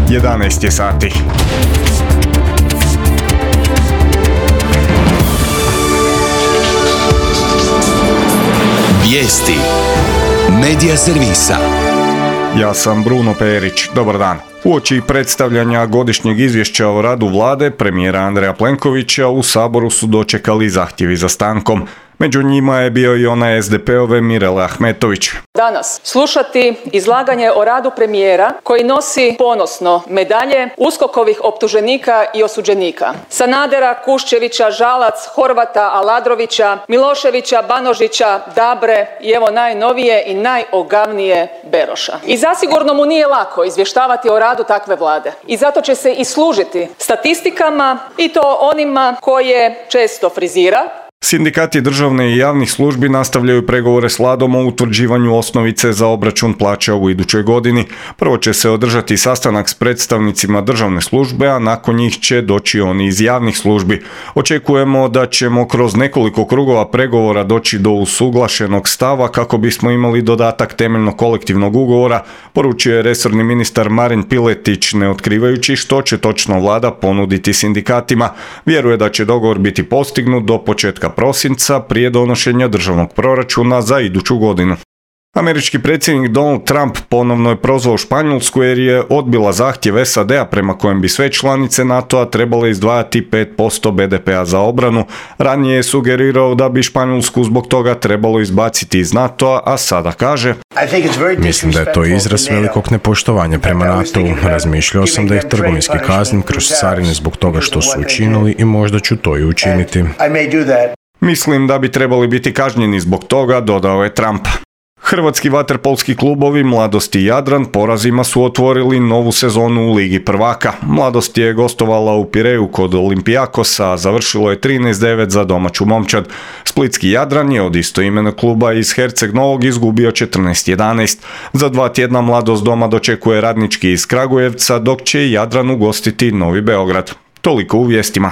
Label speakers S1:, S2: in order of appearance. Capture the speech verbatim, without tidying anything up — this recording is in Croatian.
S1: jedanaest je sati.
S2: Vijesti Medija servisa.
S1: Ja sam Bruno Perić. Dobar dan. Uoči predstavljanja godišnjeg izvješća o radu vlade premijera Andreja Plenkovića u Saboru su dočekali zahtjevi za stankom. Među njima je bio i onaj es de peove Mirele Ahmetović.
S3: Danas slušati izlaganje o radu premijera koji nosi ponosno medalje uskokovih optuženika i osuđenika. Sanadera, Kuščevića, Žalac, Horvata, Aladrovića, Miloševića, Banožića, Dabre i evo najnovije i najogavnije Beroša. I zasigurno mu nije lako izvještavati o radu takve vlade. I zato će se i služiti statistikama i to onima koje često frizira.
S1: Sindikati državne i javnih službi nastavljaju pregovore s vladom o utvrđivanju osnovice za obračun plaća u idućoj godini. Prvo će se održati sastanak s predstavnicima državne službe, a nakon njih će doći oni iz javnih službi. Očekujemo da ćemo kroz nekoliko krugova pregovora doći do usuglašenog stava kako bismo imali dodatak temeljnog kolektivnog ugovora, poručio je resorni ministar Marin Piletić, ne otkrivajući što će točno vlada ponuditi sindikatima. Vjeruje da će dogovor biti postignut do početka prosinca prije donošenja državnog proračuna za iduću godinu. Američki predsjednik Donald Trump ponovno je prozvao Španjolsku jer je odbila zahtjev es a de a prema kojem bi sve članice NATO-a trebale izdvajati pet posto be de pea za obranu. Ranije je sugerirao da bi Španjolsku zbog toga trebalo izbaciti iz NATO-a, a sada kaže:
S4: Mislim da je to izraz velikog nepoštovanja prema NATO-u. Razmišljao sam da ih trgovinski kaznim kroz carine zbog toga što su učinili i možda ću to i učiniti.
S1: Mislim da bi trebali biti kažnjeni zbog toga, dodao je Trump. Hrvatski vaterpolski klubovi Mladost i Jadran porazima su otvorili novu sezonu u Ligi prvaka. Mladost je gostovala u Pireju kod Olimpijakosa, a završilo je trinaest devet za domaću momčad. Splitski Jadran je od istoimenog kluba iz Herceg Novog izgubio četrnaest jedanaest. Za dva tjedna Mladost doma dočekuje Radnički iz Kragujevca, dok će Jadran ugostiti Novi Beograd. Toliko u vijestima.